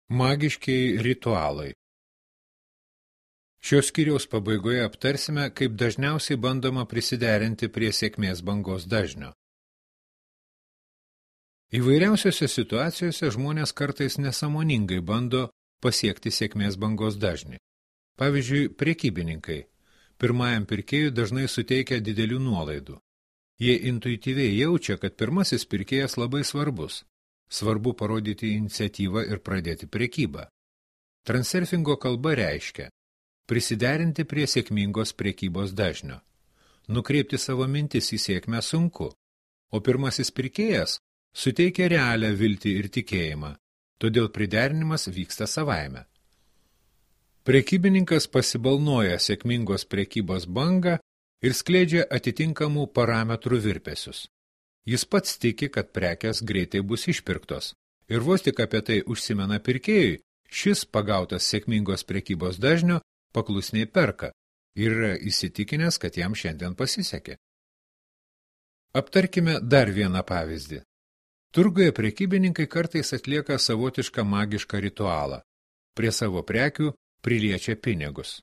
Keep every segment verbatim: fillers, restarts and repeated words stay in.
Magiškieji ritualai. Šios skyriaus pabaigoje aptarsime, kaip dažniausiai bandoma prisiderinti prie sėkmės bangos dažnio. Įvairiausiose situacijose žmonės kartais nesąmoningai bando pasiekti sėkmės bangos dažnį. Pavyzdžiui, prekybininkai. Pirmajam pirkėjui dažnai suteikia didelių nuolaidų. Jie intuityviai jaučia, kad pirmasis pirkėjas labai svarbus. Svarbu parodyti iniciatyvą ir pradėti prekybą. Transurfingo kalba reiškia prisiderinti prie sėkmingos prekybos dažnio. Nukreipti savo mintis į sėkmę sunku, o pirmasis pirkėjas suteikia realią viltį ir tikėjimą, todėl priderinimas vyksta savaime. Prekybininkas pasibalnoja sėkmingos prekybos bangą ir skleidžia atitinkamų parametrų virpesius. Jis pats tiki, kad prekės greitai bus išpirktos, ir vos tik apie tai užsimena pirkėjui, šis pagautas sėkmingos prekybos dažnio paklusniai perka ir yra įsitikinęs, kad jam šiandien pasisekė. Aptarkime dar vieną pavyzdį. Turguje prekybininkai kartais atlieka savotišką magišką ritualą. Prie savo prekių priliečia pinigus.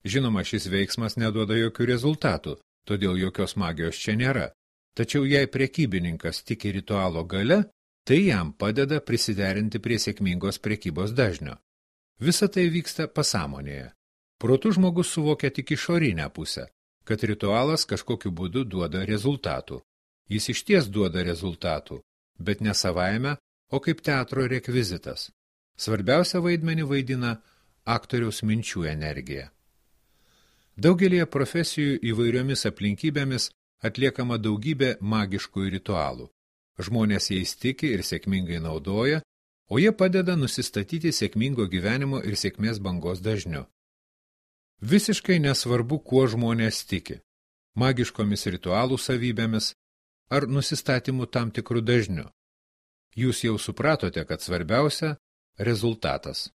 Žinoma, šis veiksmas neduoda jokių rezultatų, todėl jokios magijos čia nėra. Tačiau jei prekybininkas tiki ritualo gale, tai jam padeda prisiderinti prie sėkmingos prekybos dažnio. Visa tai vyksta pasąmonėje. Protu žmogus suvokia tik išorinę pusę, kad ritualas kažkokiu būdu duoda rezultatų. Jis išties duoda rezultatų, bet ne savaime, o kaip teatro rekvizitas. Svarbiausia vaidmenį vaidina aktoriaus minčių energija. Daugelėje profesijų įvairiomis aplinkybėmis atliekama daugybė magiškų ritualų. Žmonės jais tiki ir sėkmingai naudoja, o jie padeda nusistatyti sėkmingo gyvenimo ir sėkmės bangos dažniu. Visiškai nesvarbu, kuo žmonės tiki – magiškomis ritualų savybėmis ar nusistatymu tam tikrų dažniu. Jūs jau supratote, kad svarbiausia – rezultatas.